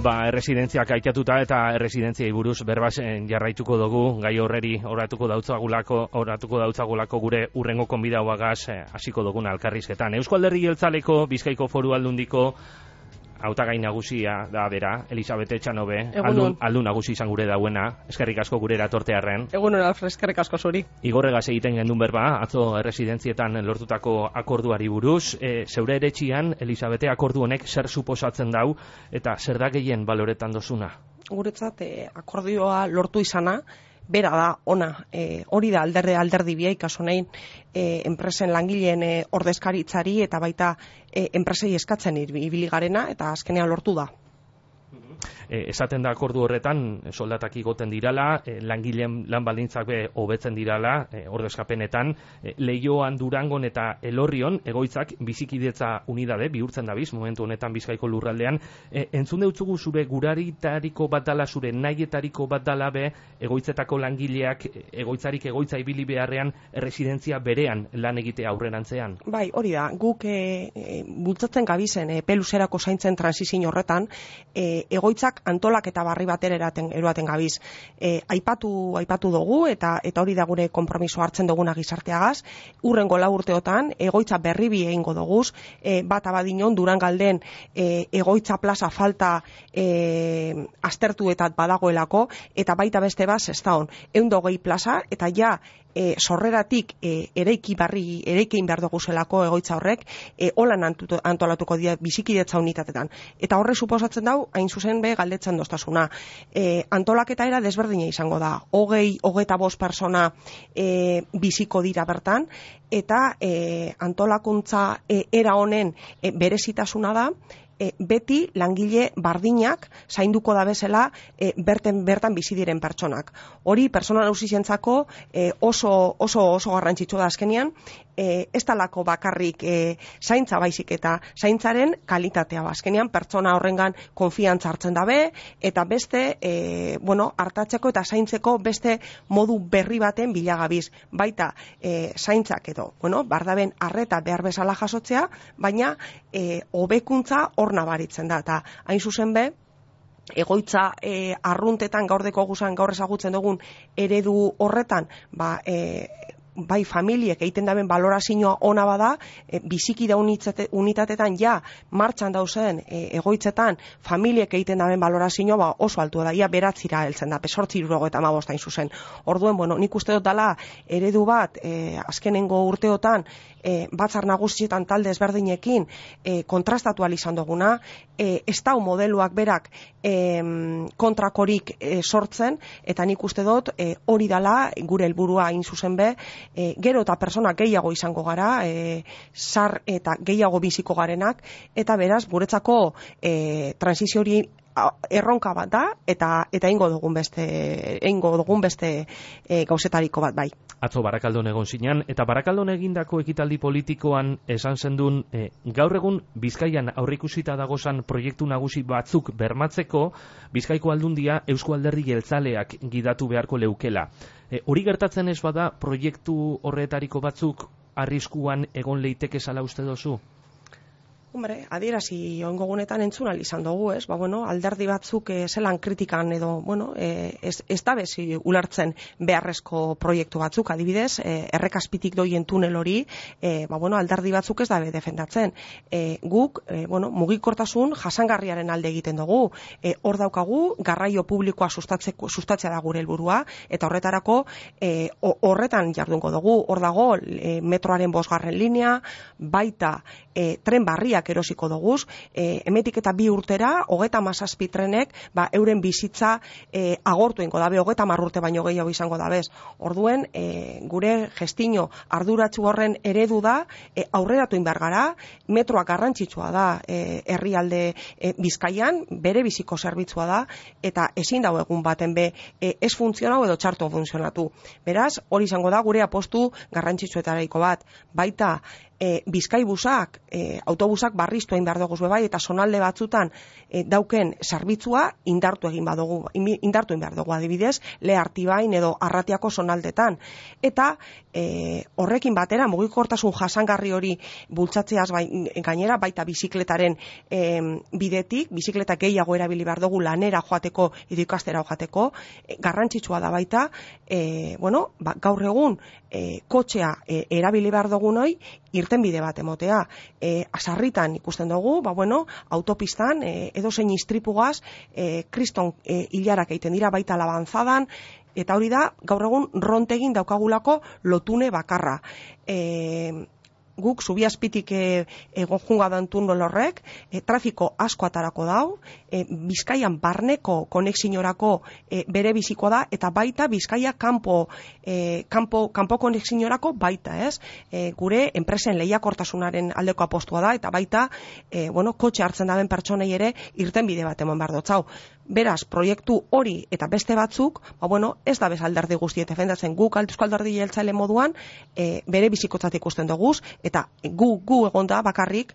Erresidentziak aitatuta eta erresidentziai buruz berbasen jarraituko dugu, gai horreri oratuko dautzagulako gure urrengo konbidauagaz hasiko duguna elkarrizketan. Eusko Alderdi Jeltzaleko Bizkaiko Foru Aldundiko hautagai nagusia da bera, Elisabete Etxanobe, aldun nagusi izan gure dauena, eskerrik asko gure eratortearren. Egunon, Alfred, eskerrik asko zuri. Igorregaz egiten gendun berba, atzo erresidentzietan lortutako akorduari buruz, zeure eretxian, Elisabete, akordu honek zer suposatzen dau, eta zer da gehien baloretan dozuna? Guretzat, akordioa lortu izana, bera da, ona, hori da alderdi biai, kaso nahin, enpresen langileen ordezkaritzari eta baita enpresei eskatzen ibili garena, eta azkenean lortu da. Esaten da akordu horretan, soldatak igoten dirala, langileen lan baldintzak be hobetzen dirala, ordezkapenetan, Leioan, Durangon eta Elorrion, egoitzak bizikidetza unidade, bihurtzen dabiz, momentu honetan Bizkaiko lurraldean, entzun deutzugu zure guraritariko bat dala, zure nahietariko bat dala be, egoitzetako langileak, egoitzarik egoitza ibili beharrean, residentzia berean lan egitea aurrerantzean. Bai, hori da, guk bultzatzen gabizen peluzerako zaintzen transizio horretan, egoitzak antolak eta barri batera eroaten gabiz. Aipatu dugu eta hori da gure konpromiso hartzen duguna gizarteagaz. Urrengo 4 urteotan egoitza berri bi egingo doguz, bat abadinon Durangalden egoitza plaza falta aztertuetat badagoelako, eta baita beste bat Sestaon 120 plaza, eta ja sorreratik ereikein behar dugu zelako egoitza horrek, holan antolatuko dira bizikidetza unitatetan. Eta horre suposatzen dau, hain zuzen be galdetzen doztasuna. Antolaketa era desberdina izango da. 25 persona biziko dira bertan, eta antolakuntza era honen berezitasuna da, beti langile bardinak zainduko da bezala bertan bizi diren pertsonak. Hori pertsona nagusientzako oso garrantzitsua da azkenean, ez talako bakarrik zaintza baizik eta zaintzaren kalitatea. Azkenean pertsona horrengan konfiantza hartzen dabe, eta beste hartatzeko eta zaintzeko beste modu berri baten bilagabiz. Baita zaintzak edo, bardaben arreta behar bezala jasotzea, baina hobekuntza hor nabaritzen da, eta hain zuzen be, egoitza arruntetan gaur ezagutzen dugun eredu horretan, bai familiek egiten daben balorazioa ona bada, bizikida unitatetan ja martxan dauzen egoitzetan familiek egiten daben balorazioa oso altua da, ia beratzira heltzen da, 8,75 hain zuzen. Orduen, nik uste dut dala eredu bat azkenengo urteotan batzar nagusietan talde ezberdinekin kontrastatu izan duguna, ez dau modeluak berak kontrakorik sortzen, eta nik uste dut hori dala gure helburua hain zuzen be, gero eta persona gehiago izango gara, zar eta gehiago biziko garenak, eta beraz guretzako transizio hori erronka bat da, eta eingo dugun beste gauzetariko bat bai. Atzo Barakaldon egon zinean, eta Barakaldon egindako ekitaldi politikoan esan zendun, gaur egun Bizkaian aurreikusita dagozan proiektu nagusi batzuk bermatzeko, Bizkaiko Aldundia Eusko Alderdi Jeltzaleak gidatu beharko leukela. Hori gertatzen ez bada, proiektu horretariko batzuk arriskuan egon leiteke zala uste dozu? Hombre, adierazi oingo gunetan entzun izan dugu, ez? Alderdi batzuk zelan kritikan edo, ez da bezi ulertzen beharrezko proiektu batzuk, adibidez, errekaspitik doien tunel hori, alderdi batzuk ez dabe defendatzen. Guk, mugikortasun jasangarriaren alde egiten dugu. Hor daukagu, garraio publikoa sustatzea da gure helburua, eta horretarako horretan jardungo dugu. Hor dago, metroaren 5. linea, baita tren barriak erosiko doguz, hemetik eta 2 urtera, 37 trenek, euren bizitza agortu ingo dabe, 30 urte baino gehiago izango dabez. Orduen, gure gestino arduratsu horren eredu da, aurreratu inbar gara, metroak garrantzitsua da herrialde Bizkaian, bere biziko zerbitzua da, eta ezin dago egun baten be, ez funtzionau edo txarto funtzionatu. Beraz, hori izango da gure apostu garrantzitsuetariko bat, baita bizkaibusak, autobusak barriztu egin behar dugu bai, eta zonalde batzutan dauken zerbitzua indartu egin behar dugu adibidez, Lehartibain edo Arratiako zonaldetan. Eta horrekin batera, mugikortasun jasangarri hori bultzatzeaz gainera, baita bizikletaren bidetik, bizikleta gehiago erabili behar dugu lanera joateko edo ikastera joateko, garrantzitsua da baita, gaur egun kotxea erabili behar dugu noi, irtenbide bat emotea. Sarritan ikusten dugu, autopistan, edozein istripugaz, kriston hilarak egiten dira baita labanzadan, eta hori da, gaur egun rontegin daukagulako lotune bakarra. Guk Zubiazpitik egon junga dan tunel horrek, trafiko asko atarako dau, Bizkaian barneko konexioarako bere bizikoa da, eta baita Bizkaia kanpo konexioarako baita, ez? Gure enpresen lehiakortasunaren aldeko apostua da, eta baita, kotxe hartzen daben pertsonei ere irtenbide bat emon behar dotzau. Beraz, proiektu hori eta beste batzuk, ez da bez alderdi guztiet defendatzen, guk Eusko Alderdi Jeltzale moduan bere bizikotzat ikusten duguz, eta gu egonda bakarrik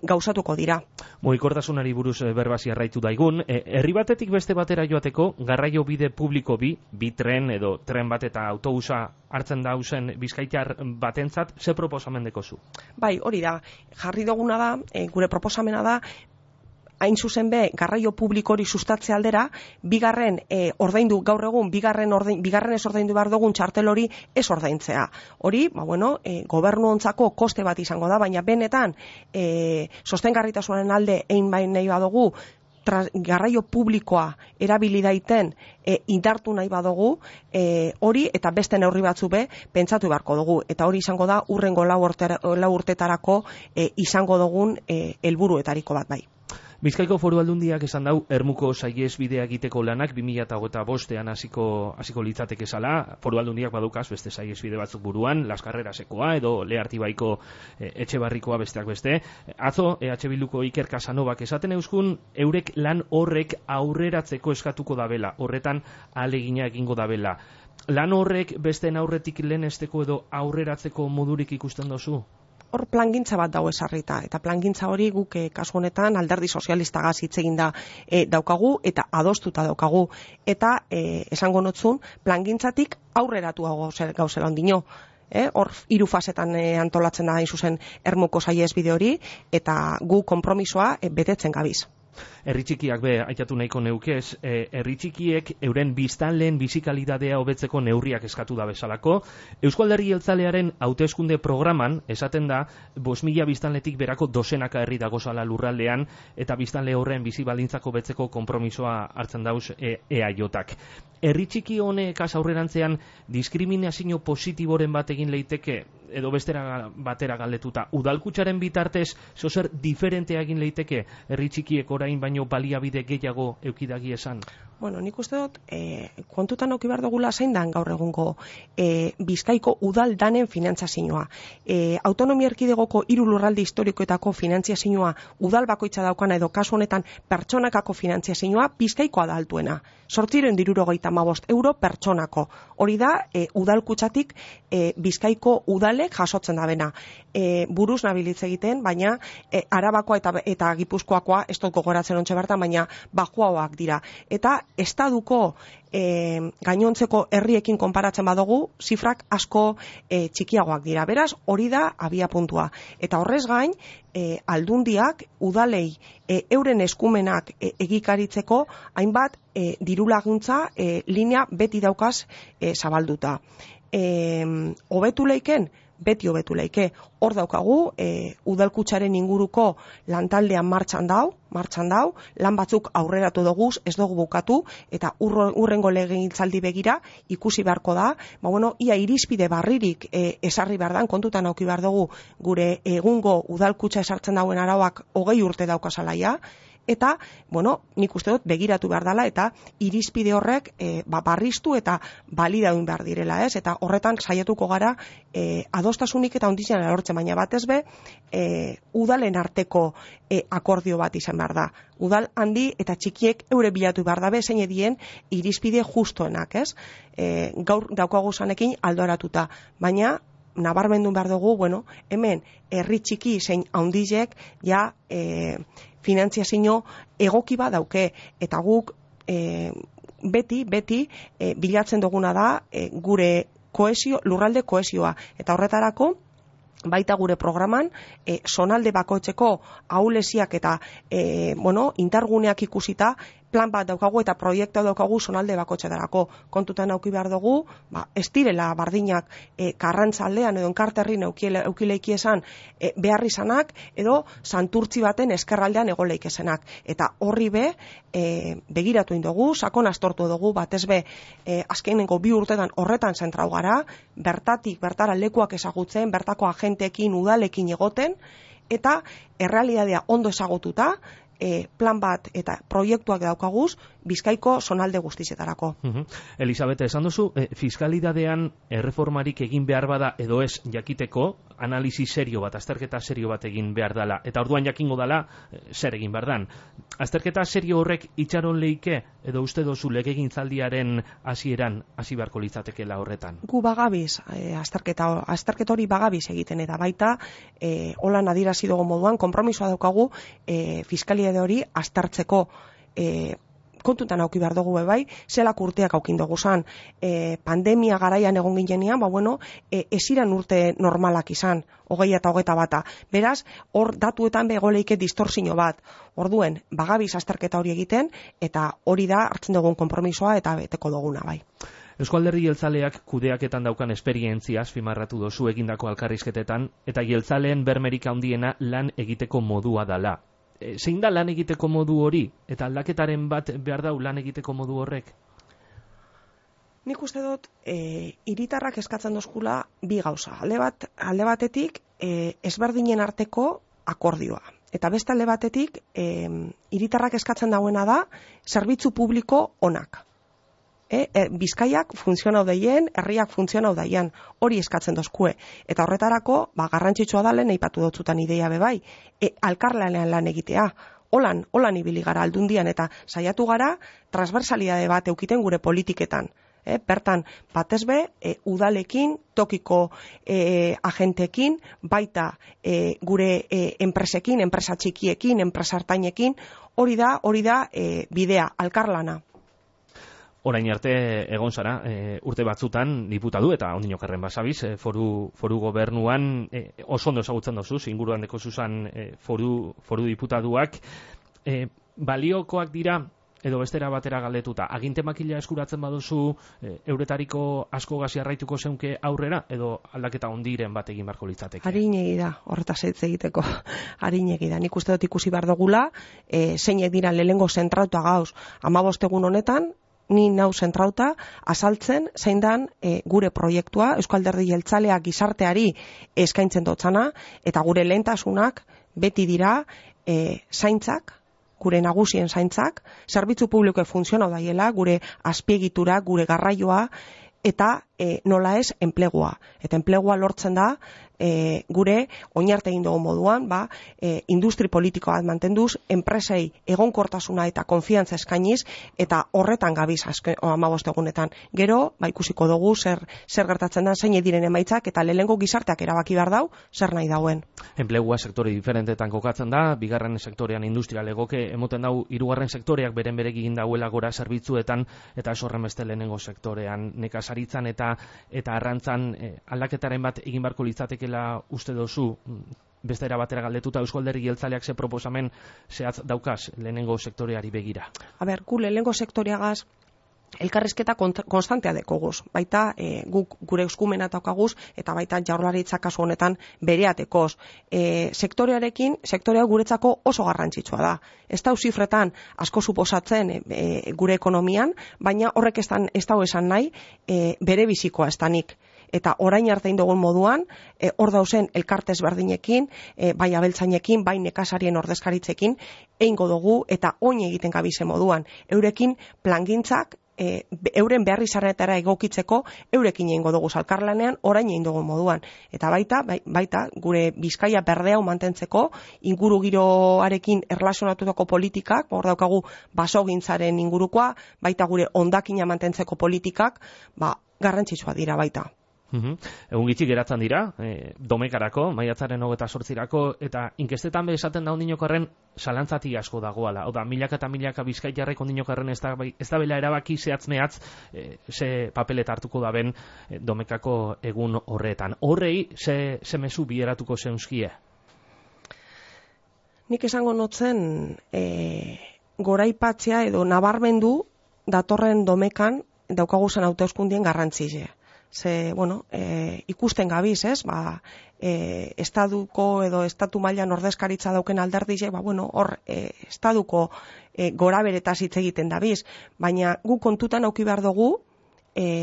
gauzatuko dira. Mugikortasunari buruz berbasi arraitu daigun, herri batetik beste batera joateko garraio bide publiko bi tren edo tren bat eta autobusa hartzen dauzen bizkaitar batentzat, ze proposamen dekozu? Bai, hori da, jarri duguna da, gure proposamena da, hain zuzen be, garraio publiko hori sustatze aldera, bigarren ordaindu gaur egun, bigarren ez ordaindu behar dugun txartel hori ez ordaintzea. Hori, gobernu ontzako koste bat izango da, baina benetan sostengarritasunaren alde egin nahi badugu, garraio publikoa erabili daiten indartu nahi badugu, hori eta beste neurri batzu be pentsatu beharko dugu, eta hori izango da urrengo 4 urtetarako izango dugun helburuetariko bat bai. Bizkaiko Foru Aldundiak esan dau Ermuko saihesbidea egiteko lanak 2025ean hasiko litzateke zala. Foru Aldundiak badukaz beste saihesbide batzuk buruan, Las Carrerasekoa edo Lehartibaiko Etxebarrikoa besteak beste. Atzo EH Bilduko Iker Casanovak esaten euskun eurek lan horrek aurreratzeko eskatuko dabela, horretan ahalegina egingo dabela. Lan horrek besteen aurretik lehenesteko edo aurreratzeko modurik ikusten dozu? Hor plangintza bat dago esarrita, eta plangintza hori guk kasu honetan Alderdi Sozialistagaz hitz eginda daukagu eta adostuta daukagu, eta esango notzun plangintzatik aurreratuago gauzela ondino. Hor 3 fasetan antolatzen da hain zuzen Ermuko saihesbide hori, eta gu konpromisoa betetzen gabiz. Herri txikiak be aitatu nahiko neukez, herri txikiek euren biztanleen bizikalidadea hobetzeko neurriak eskatu da bezalako. Eusko Alderdi Jeltzalearen hauteskunde programan esaten da 5.000 biztanletik berako dozenaka herri dagozala lurraldean, eta biztanle horren bizi baldintzako betzeko konpromisoa hartzen dauz EAJak. Herri txiki honek aurrerantzean diskriminazio positiboren bat egin leiteke, edo bestera batera galdetuta, udalkutxaren bitartez zozer diferentea egin leiteke herri txikiek orain baino baliabide gehiago eukidagi esan? Nik uste dut, kontutan auki behar dugula zein dan gaur egungo Bizkaiko udal danen finantzazioa. Autonomia erkidegoko 3 lurralde historikoetako finantzazioa udal bakoitza daukana edo kasu honetan pertsonakako finantzazioa Bizkaikoa da altuena. 875 euro pertsonako. Hori da, udalkutxatik Bizkaiko udalek jasotzen da bena. Buruz nabilitz egiten, baina Arabakoa eta Gipuzkoakoa, ez dut gogoratzen ontxe bertan, baina bajuagoak dira. Eta estaduko gainontzeko herriekin konparatzen badugu, zifrak asko txikiagoak dira. Beraz, hori da abia puntua. Eta horrez gain, aldundiak udalei euren eskumenak egikaritzeko hainbat diru laguntza linea beti daukaz zabalduta. Hobetu leiken, beti hobetu leike. Hor daukagu, udalkutxaren inguruko lantaldean martxan dau, lan batzuk aurreratu doguz, ez dugu bukatu, eta urrengo legegintzaldi begira ikusi beharko da, ia irizpide barririk esarri behar dan, kontutan auki behar dugu gure egungo udalkutxa esartzen dauen arauak 20 urte daukazalaia, eta, nik uste dut begiratu behar dela, eta irizpide horrek barriztu eta balidaun behar direla, ez? Eta horretan saiatuko gara adostasunik eta ondizien lortzen, baina batez be, udalen arteko akordio bat izan behar da. Udal handi eta txikiek eure bilatu behar dabe, zein edien irizpide justoenak, ez? Gaur daukagu zanekin aldoaratuta, baina nabarmendu behar dugu, bueno, hemen herri txiki zein handizek ja finantziazio egoki bat dauke, eta guk beti bilatzen duguna da gure lurralde kohesioa, eta horretarako baita gure programan zonalde bakoitzeko ahuleziak eta indarguneak ikusita plan bat daukagu eta proiektu daukagu zonalde bakoitzetarako. Kontutan eduki behar dugu, ez direla bardinak Karrantzaldean edo Enkarterrin eukileiki esan behar izanak edo Santurtzi baten eskerraldean egoleik esanak. Eta horri begiratu indugu, sakon astortu dugu, batez azkenengo 2 urtetan horretan zentrau gara, bertara lekuak ezagutzen, bertako agenteekin, udalekin egoten, eta errealitatea ondo ezagututa, plan bat eta proiektuak daukaguz Bizkaiko zonalde guztietarako. Elisabete, esan duzu, fiskalidadean erreformarik egin behar bada edo ez jakiteko, analisi serio bat, azterketa serio bat egin behar dela, eta orduan jakingo dela zer egin behar dan. Azterketa serio horrek itxaron leike, edo uste dozu legegintzaldiaren hasieran hasi beharko litzatekeela horretan? Gu bagabiz, azterketa hori bagabiz egiten, eta baita, holan adierazi dugu moduan, konpromisoa daukagu fiskalidade hori aztertzeko kontutan auki behar dugu zelak urteak aukin dugu zan. Pandemia garaian egon ginean, eziran urte normalak izan, 20 eta 21. Beraz, hor datuetan begoleike distorsio bat. Orduen, bagabiz azterketa hori egiten, eta hori da hartzen dugun konpromisoa eta beteko duguna bai. Eusko Alderdi Jeltzaleak kudeaketan daukan esperientzia azpimarratu dozu egindako elkarrizketetan, eta jeltzaleen bermerik handiena lan egiteko modua dala. Zein da lan egiteko modu hori? Eta aldaketaren bat behar dau lan egiteko modu horrek? Nik uste dut, hiritarrak eskatzen dozkula 2 gauza. Alde batetik, ezberdinen arteko akordioa. Eta beste alde batetik, hiritarrak eskatzen dauena da, zerbitzu publiko onak. Bizkaiak funtzionau daien, herriak funtzionau daien, hori eskatzen dozkue. Eta horretarako, garrantzitsua da lehen aipatu dotzutan ideia bebai, alkarlanean lan egitea. Holan ibili gara aldundian eta saiatu gara transversalidade bat eukiten gure politiketan. Bertan, batez udalekin, tokiko agentekin, baita gure enpresekin, enpresa txikiekin, enpresa hartainekin, hori da bidea, alkarlana. Orain arte egon zara, urte batzutan diputatu eta ondino karren basabiz, foru gobernuan oso ondo ezagutzen dozu, inguruan deko zuzan foru diputatuak, baliokoak dira, edo bestera batera galdetuta, aginte makila eskuratzen baduzu euretariko asko gaziarraituko zeunke aurrera, edo aldaketa ondiren bat egin barko litzateke? Harinegi da, horretaz hitz egiteko, harinegi da. Nik uste dut ikusi behar dugula, zeinek dira lehengo zentrauta gauz, 15 egun honetan, ni nau zentrauta, azaltzen zein dan gure proiektua, Eusko Alderdi Jeltzaleak gizarteari eskaintzen dotzana, eta gure lehentasunak beti dira zaintzak, gure nagusien zaintzak, zerbitzu publikoek funtzionau daiela, gure azpiegitura, gure garraioa, eta nola ez enplegua. Eta enplegua lortzen da gure oinarte egin dugu moduan, industri politiko bat mantenduz, enpresei egonkortasuna eta konfiantza eskainiz, eta horretan gabiz 15 egunetan. Gero, ikusiko dugu zer gertatzen da, zein diren emaitzak, eta lehengo gizarteak erabaki behar dau, zer nahi dauen. Enplegua sektore diferentetan kokatzen da, bigarren sektorean industrial egoke, emoten dau, hirugarren sektoreak beren egin dauela gora zerbitzuetan, eta ez horren beste lehenengo sektorean nekazaritzan eta arrantzan aldaketaren bat egin barko litzatekela uste dozu, bestera batera galdetuta Eusko Alderdi Jeltzaleak ze proposamen zehatz daukaz lehenengo sektoreari begira? Gu lehenengo sektoreagaz elkarrizketa konstantea dekoguz, baita guk gure eskumena daukaguz eta baita Jaurlaritza kasu honetan bereatekoz. Sektorea guretzako oso garrantzitsua da. Ez da zifretan asko suposatzen gure ekonomian, baina horrek ez da esan nahi bere bizikoa ez danik. Eta orain arte dugun moduan, hor dauzen elkarte ezberdinekin, bai abeltzainekin, bai nekazarien ordezkaritzekin, eingo dugu eta oin egiten gabize moduan. Eurekin plangintzak, euren behar izarretara egokitzeko, eurekin egingo dugu elkarlanean, orain egin dugun moduan. Eta baita gure Bizkaia berdea mantentzeko, inguru giroarekin erlazionatutako politikak, hor daukagu basogintzaren ingurukoa, baita gure hondakina mantentzeko politikak, garrantzitsua dira baita. Egun gitxi geratzen dira, Domekarako, maiatzaren 28-rako, eta inkestetan be esaten da ondinokarren salantzati asko dagoala. Oda, milaka eta milaka bizkaitarrek ondinokarren ez da bela erabaki zehatz mehatz ze papelet hartuko da ben Domekako egun horretan. Horrei, ze mezu bieratuko zeunzkie? Nik esango notzen goraipatzea edo nabarmendu datorren Domekan daukaguzan hauteskundien garrantzize. Ze, bueno, ikusten gabiz, ez? Estaduko edo estatu mailan ordezkaritza dauken alderdize, bueno, hor estaduko goraberetaz hitz egiten dabiz, baina gu kontutan auki behar dugu,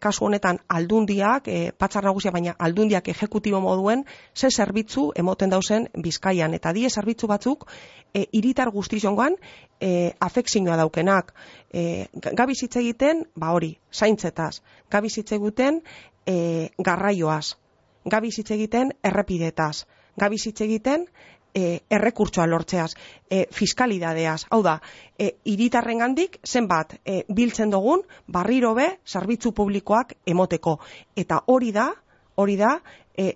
kasu honetan aldundiak, batzar nagusia, baina aldundiak ejekutibo moduen, ze zerbitzu emoten dauzen Bizkaian, eta die zerbitzu batzuk hiritar guztizongoan afekzioa daukenak. Gabiz hitz egiten, hori, zaintzetaz, gabiz hitz egiten garraioaz, gabiz hitz egiten errepidetaz, gabiz hitz egiten errekurtsoa lortzeaz, fiskalidadeaz, hau da, hiritarrengandik zenbat biltzen dugun barriro be zerbitzu publikoak emoteko. Eta hori da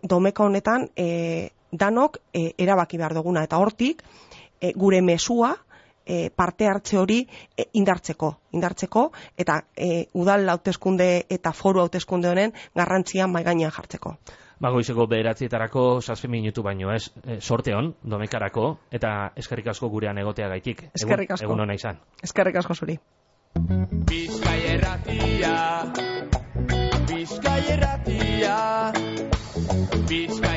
Domeka honetan danok erabaki behar duguna, eta hortik gure mesua parte hartze hori indartzeko, eta udal hauteskunde eta foru hauteskunde honen garrantzia mahai gainean jartzeko. Goizeko 9:00 7 minutu baino ez, sorte on Domekarako, eta eskerrik asko gurean egoteagaitik. Eskerrik asko. Egun ona izan. Eskerrik asko zuri. Bizkai Erratia, Bizkai Erratia, Bizkai